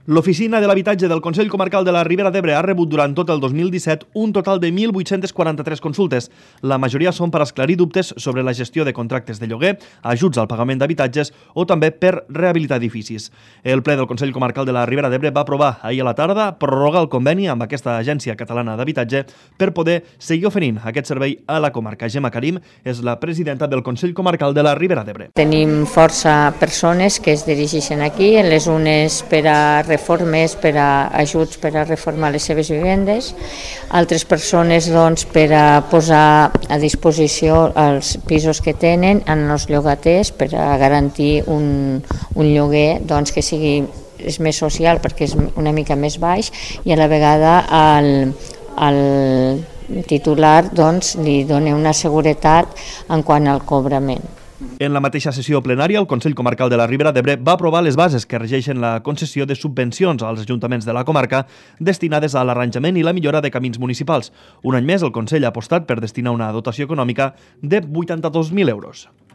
L'Oficina de l'Habitatge del Consell Comarcal de la Ribera d'Ebre ha rebut durant tot el 2017 un total de 1.843 consultes. La majoria són per esclarir dubtes sobre la gestió de contractes de lloguer, ajuts al pagament d'habitatges o també per rehabilitar edificis. El ple del Consell Comarcal de la Ribera d'Ebre va aprovar ahir a la tarda prorrogar el conveni amb aquesta Agència Catalana d'Habitatge per poder seguir oferint aquest servei a la comarca. Gemma Karim és la presidenta del Consell Comarcal de la Ribera d'Ebre. Tenim força persones que es dirigeixen aquí, les unes per a reformes, per a ajuts per a reformar les seves vivendes, altres persones per a posar a disposició els pisos que tenen en els llogaters per a garantir un lloguer que sigui més social perquè és una mica més baix i a la vegada al titular li dona una seguretat en quant al cobrament. En la mateixa sessió plenària, el Consell Comarcal de la Ribera d'Ebre va aprovar les bases que regeixen la concessió de subvencions als ajuntaments de la comarca destinades a l'arranjament i la millora de camins municipals. Un any més, el Consell ha apostat per destinar una dotació econòmica de 82.000 euros.